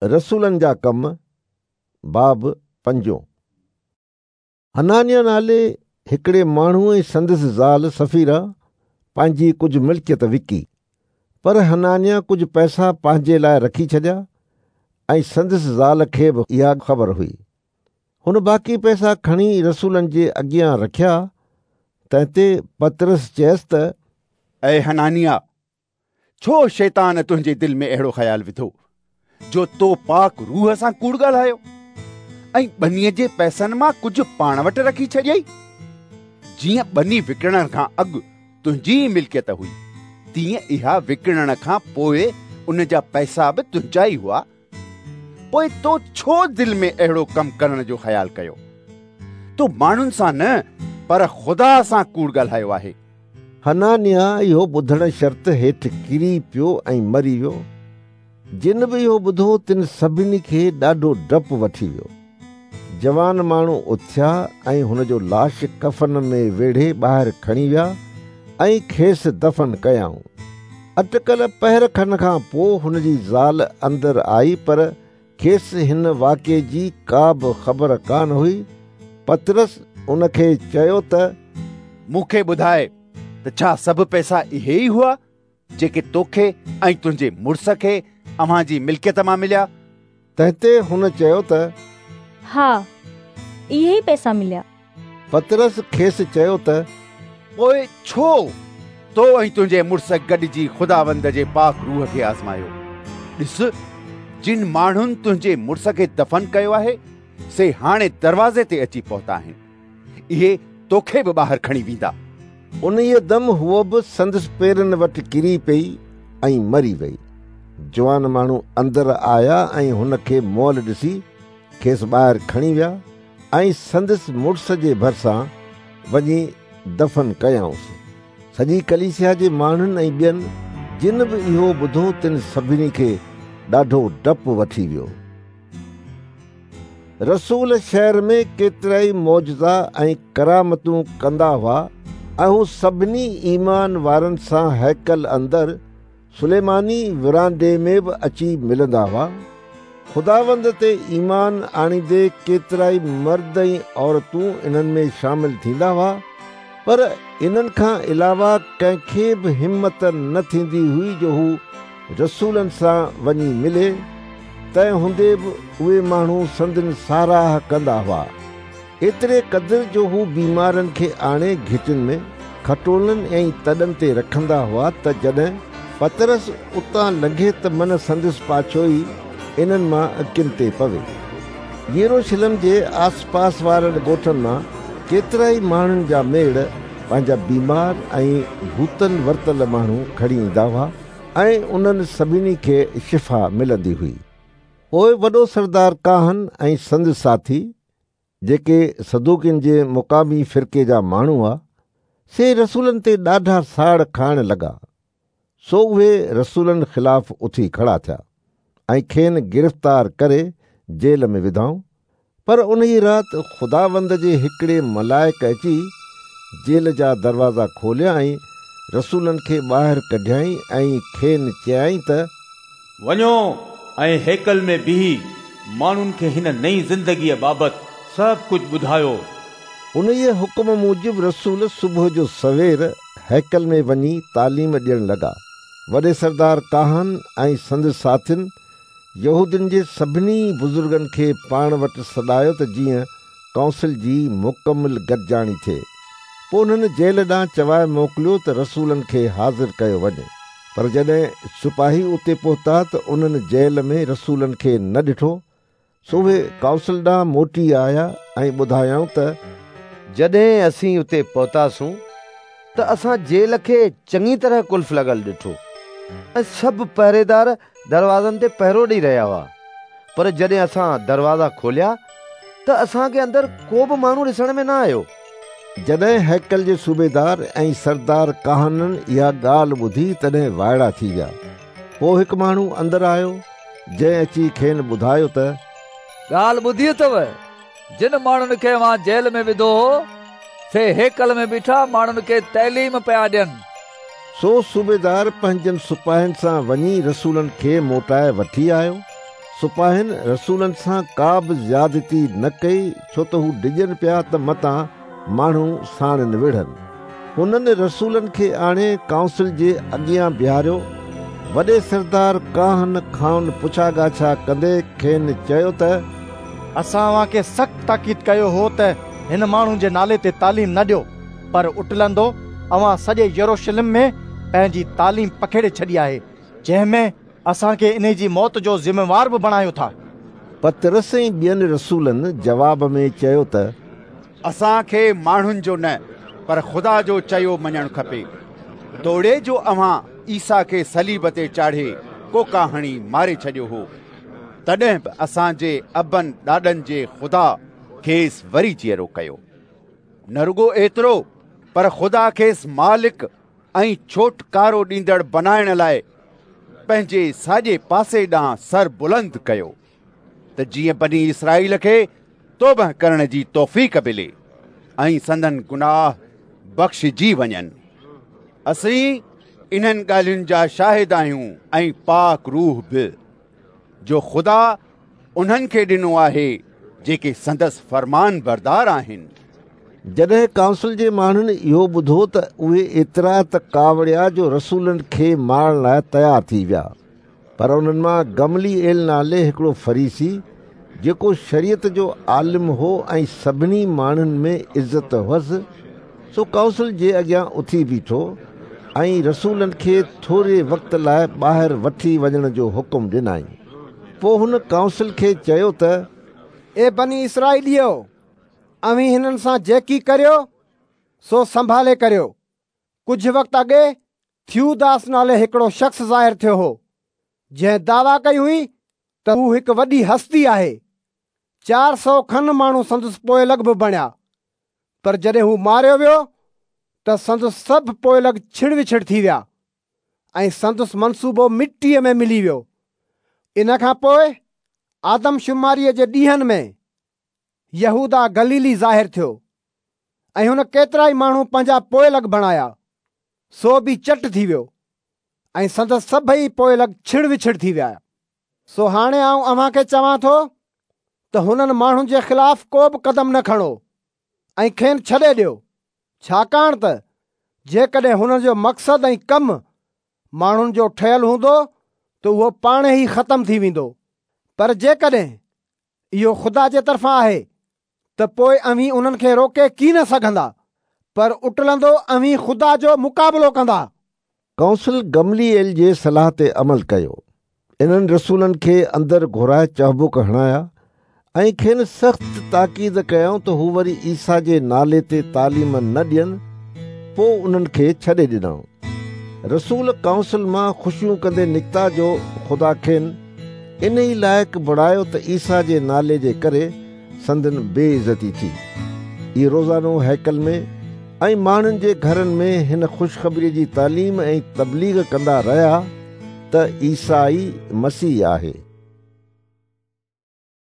رسولن جا ڪم، باب پنجون. حنانيا نالي هڪڙي ماڻهو ۽ سندس زال سفيرا پنهنجي ڪجهه ملڪيت وڪي، پر حنانيا ڪجهه پئسا پنهنجي لاء رکي ڇڏيا ۽ سندس زال کي به اها خبر هئي. هن باقي پئسا کڻي رسولن جي اڳيان رکيا، تنهن تي پطرس چيس ته، اي حنانيا! ڇو شيطان تنهنجي دل ۾ اهڙو خيال وڌو، جو تو پاڪ روح سان ڪوڙ ڳالهايو ۽ ٻنيء جي پئسن مان ڪجهه پاڻ وٽ رکي ڇڏيئي؟ جيئن ٻني وڪڻڻ کان اڳ تنهنجي ئي ملڪيت هئي، تيئن اها وڪڻڻ کان پوء ان جا پئسا به تنهنجا ئي هئا. پوء تو ڇو دل ۾ اهڙو ڪم ڪرڻ جو خيال ڪيو؟ تو ماڻهن سان نه پر خدا سان ڪوڙ ڳالهايو آهي. حنانيا اهو ٻڌڻ شرط هيٺ ڪري پيو ۽ مري ويو. جن به اهو ٻڌو تن سڀني کي ڏاڍو ڊپ وٺي ويو. جوان ماڻهو اٿيا ۽ هن جو لاش ڪفن ۾ ويڙهي ٻاهر کڻي ويا ۽ کيس دفن ڪيائون. اٽڪل پهر کن کان پوء هن جي زال اندر آئي پر کيس هن واقعي جي ڪا به خبر ڪانه هئي. پطرس ان کي چيو ته، مون کي ٻڌاء ته ڇا سڀ پئسا اهي ئي هئا، جيڪي توکي ۽ تنهنجي مڙس کي اوهان جي ملڪيت مان مليا؟ تنهن تي هن چيو ته، ها، اهي ئي پئسا مليا. پطرس کيس چيو ته، پوء ڇو تو ۽ تنهنجي مڙس گڏجي خداوند جي پاڪ روح کي آزمايو؟ ڏس، جن ماڻهن تنهنجي مڙس کي دفن ڪيو آهي، سي هاڻي دروازي تي اچي پهتا آهن. اهي توکي به ٻاهر کڻي ويندا. انهيء دم هوء به سندس پيرن وٽ ڪري پيئي ۽ مري ويئي. جوان ماڻهو اندر آيا ۽ هن کي مئل ڏسي کيس ٻاهر کڻي ويا ۽ سندس مڙس جي ڀرسان وڃي دفن ڪيائونس. سڄي ڪليسيا جي ماڻهن ۽ ٻين جن به اهو ٻڌو تن سڀني کي ڏاڍو ڊپ وٺي ويو. رسول شهر ۾ ڪيترائي معجزا ۽ ڪرامتون ڪندا هئا ۽ هو سڀني ايمان وارن سان هيڪل اندر سليماني ورانڊي ۾ به اچي ملندا هئا. خداوند تي ايمان آڻيندي ڪيترائي مرد ۽ عورتون انهن ۾ شامل ٿيندا هئا، پر انهن کان علاوه ڪنهن کي به همت نه ٿيندي هئي جو هو رسولن سان وڃي ملي، تنهن هوندي به اهي ماڻهو سندن ساراهه ڪندا هئا. ايتري قدر جو هو بيمارن کي آڻي گهٽين ۾ کٽولن ۽ تڏن تي رکندا هئا ته جڏهن پطرس اتان لنگهي ته من سندس پاڇو ئي انهن مان ڪن تي پوي. يروشلم جي آسپاس وارن ڳوٺن مان ڪيترائي ماڻهن جا ميڙ پنهنجا بيمار ۽ ڀوتن ورتل ماڻهو کڻي ايندا هئا ۽ انهن سڀني کي شفا ملندي هئي. پوء وڏو سردار ڪاهن ۽ سندس ساٿي، جيڪي صدوقين جي مقامي فرقي جا ماڻهو هئا، سي رسولن تي ڏاڍا ساڙ کائڻ لڳا. سو اهي رسولن خلاف اٿي کڙا ٿيا ۽ کين گرفتار ڪري جيل ۾ وڌائون. پر انهيء رات خداوند جي هڪڙي ملائڪ اچي جيل جا دروازا کوليا ۽ رسولن کي ٻاهر ڪڍيائين ۽ کين چيائين ته، وڃو ۽ هيڪل ۾ بيهي ماڻهن کي هن نئين زندگيء بابت سڀ ڪجهه ٻڌايو. انهيء حڪم موجب رسول صبح جو سوير هيڪل ۾ وڃي تعليم ڏيڻ لڳا. وڏي سردار ڪاهن ۽ سندس ساٿين يهودين جي سڀني بزرگن کي پاڻ وٽ سڏايو ته جيئن ڪائونسل جي مڪمل گڏجاڻي ٿئي. پوء انهن جيل ڏانهن چوائي موڪليو ته رسولن کي حاضر ڪيو وڃي. پر جڏهن سپاهي اتي پهتا ته انهن جيل ۾ رسولن کي نه ڏٺو، سو اهي ڪائونسل ڏانهن موٽي آيا ۽ ٻڌايائون ته. جڏهن اسين اتي پهتاسون ته اسان جيل کي چڱي طرح قلف لڳل ڏٺو ۽ سڀ پهريدار دروازن تي پهرو ڏئي رهيا هئا، پر جڏهن اسان دروازا کوليا ته اسان کي اندر ڪو به ماڻهو ڏسڻ ۾ نه آيو. جڏهن هيڪل جي صوبيدار ۽ سردار ڪاهنن اها ڳالهه ٻڌي تڏهن وائڙا ٿي ويا. پوء هڪ ماڻهو اندر آيو، جنهن اچي کين ٻڌايو ته. ڳالهه ٻڌي اٿو، جن ماڻهن کي اوهان جيل ۾ وڌو هو، سي هيڪل ۾ بيٺا ماڻهن کي تعليم پيا ڏين. سو صوبيدار پنهنجن سپاهين سان وڃي رسولن کي موٽائي وٺي آيو. سپاهين رسولن سان ڪا به زيادتي نه ڪئي، ڇو ته هو ڊڄن پيا ته متان ماڻهو ساڻن وڙهن. هنن رسولن کي آڻي ڪائونسل جي اڳيان بيهاريو. وڏي سردار ڪاهن کانئن پڇا ڳاڇا ڪندي کين چيو ته اسان اوهان کي سخت تاڪيد ڪيو هو ته هن ماڻهو جي نالي تي تعليم نه ڏيو، پر اٽلندو اوهان سڄي يروشلم ۾ پنهنجي تعليم پکيڙي ڇڏي آهي، جنهن ۾ اسان کي انهي جي موت جو ذميوار به بڻايو ٿا. پطرس ۽ ٻين رسولن جواب ۾ چيو ته اسان کي ماڻهن جو نه پر خدا جو چيو مڃڻ کپي. توڙي جو اوهان عيسيٰ کي صليب تي چاڙهي ڪوڪا هڻي ماري ڇڏيو هو، تڏهن به اسان جي ابن ڏاڏن جي خدا کيس وري جيئرو ڪيو. نه رڳو ايترو پر خدا کيس مالڪ ۽ ڇوٽڪارو ڏيندڙ بنائڻ لاء پنهنجي ساڄي پاسي ڏانهن سر بلند ڪيو ته جيئن بني اسرائيل کي توبه ڪرڻ جي توفيق ملي ۽ سندن گناهه بخشجي وڃن. اسين انهن ڳالهين جا شاهد آهيون ۽ پاڪ روح به، جو خدا انهن کي ڏنو آهي جيڪي سندس فرمان بردار آهن. جڏهن ڪائونسل جي ماڻهن اهو ٻڌو ته اهي ايترا ته ڪاوڙيا جو رسولن کي مارڻ لاء تيار ٿي ويا. پر انهن مان گملي ايل نالي هڪڙو فريسي، جيڪو شريعت جو عالم هو ۽ سڀني ماڻهن ۾ عزت هئس، سو ڪائونسل جي اڳيان اٿي بيٺو ۽ رسولن کي ٿوري وقت لاء ٻاهر وٺي وڃڻ جو حڪم ڏنائين. پوء هن ڪائونسل کي چيو ته اي بني اسرائيليو! اوهين هنن سان جيڪي ڪريو، سو سنڀالي ڪريو. ڪجهه وقت اڳي ٿيوداس نالي هڪڙو شخص ظاهر ٿيو هو، جنهن دعويٰ ڪئي هئي ته هو هڪ وڏي هستي آهي. 400 کن ماڻهو سندس پوئلڳ به بڻيا، پر جڏهن هو ماريو ويو ته سندس سڀ پوئلڳ ڇڙ وڇڙ ٿي ويا. ۽ سندس منصوبو مٽيء ۾ ملي ويو. ان کان پوء آدمشماريء جي ڏينهن ۾ يهوداه گليلي ظاهر ٿيو ۽ هن ڪيترائي ماڻهو پنهنجا پوئلڳ بڻايا، سو به چٽ ٿي ويو ۽ سندس سڀئي پوئلڳ ڇڙ وڇڙ ٿي ويا. سو هاڻي آئون اوهان کي چوان ٿو ته هنن ماڻهن جي خلاف ڪو به قدم نه کڻو ۽ کين ڇڏي ڏيو. ڇاڪاڻ ته جيڪڏهن هنن جو مقصد ۽ ڪم ماڻهن جو ٺهيل هوندو ته اهو پاڻ ئي ختم ٿي ويندو، پر جيڪڏهن اهو خدا جي طرفان آهي ته پوء اوهين انهن کي روڪي ڪين سگهندا، پر اٽلندو اوهين خدا جو مقابلو ڪندا. ڪائونسل گملي ايل جي صلاح تي عمل ڪيو. انهن رسولن کي اندر گهرائي چهبڪ هڻايا ۽ کين سخت تاڪيد ڪيائون ته هو وري عيسيٰ جي نالي تي تعليم نه ڏين، پوء انهن کي ڇڏي ڏنائون. رسول ڪائونسل مان خوشيون ڪندي نڪتا جو خدا کين انهي لائق بڻايو ته عيسيٰ جي نالي جي ڪري سندن بي عزتي ٿي. اهي روزانو هيڪل ۾ ۽ ماڻهن جي گهرن ۾ هن خوشخبريء جي تعليم ۽ تبليغ ڪندا رهيا ته عيسيٰ ئي مسيح آهي.